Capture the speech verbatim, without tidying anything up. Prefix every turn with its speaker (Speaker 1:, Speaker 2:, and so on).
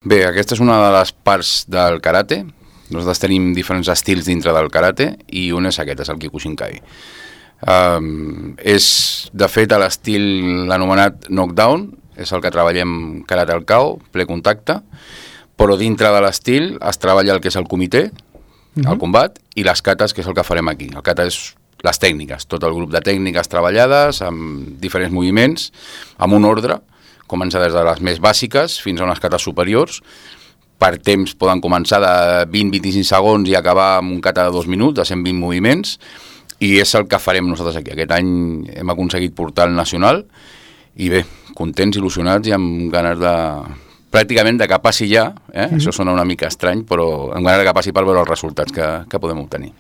Speaker 1: Bé, aquesta és una de les parts del karate. Nosaltres tenim diferents estils dintre del karate i un és aquest, és el Kyokushinkai. Um, és, de fet, l'estil anomenat knockdown, és el que treballem karate al K O, ple contacte, però dintre de l'estil es treballa el que és el comitè, uh-huh. el combat, i les katas, que és el que farem aquí. El kata és les tècniques, tot el grup de tècniques treballades, amb diferents moviments, amb un ordre, comença des de les més bàsiques fins a unes katas superiors. Per temps poden començar de vint a vint-i-cinc segons i acabar amb un kata de dos minuts, de cent vint moviments, i és el que farem nosaltres aquí. Aquest any hem aconseguit portar el nacional i bé, contents, il·lusionats i amb ganes de... pràcticament de que passi ja, eh? Mm-hmm. Això sona una mica estrany, però amb ganes de que passi per veure els resultats que, que podem obtenir.